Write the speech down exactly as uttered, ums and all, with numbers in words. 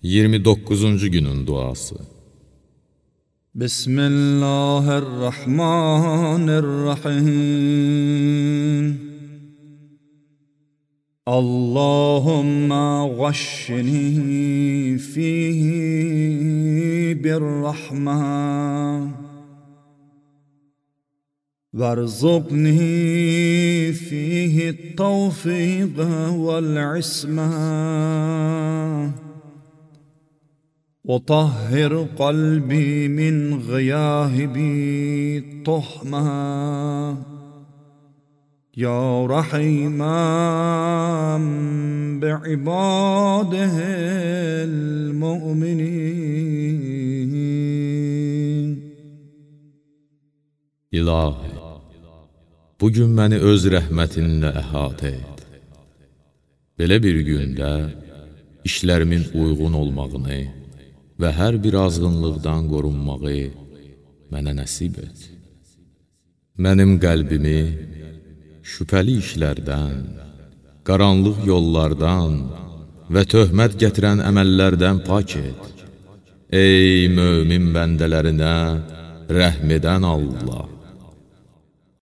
iyirmi doqquzuncu günün duası. Bismillahirrahmanirrahim. Allahümme gashshini fihi birrahman وارزقني فيه التوفيق والعصمة وطهر قلبي من غياهب الطهمة يا رحيما بعباده المؤمنين. İlahi, bugün məni öz rəhmətinlə əhatə et. Belə bir gündə işlərimin uyğun olmağını və hər bir azğınlıqdan qorunmağı mənə nəsib et. Mənim qəlbimi şübhəli işlərdən, qaranlıq yollardan və töhmət gətirən əməllərdən pak et. Ey mömin bəndələrinə rəhm edən Allah!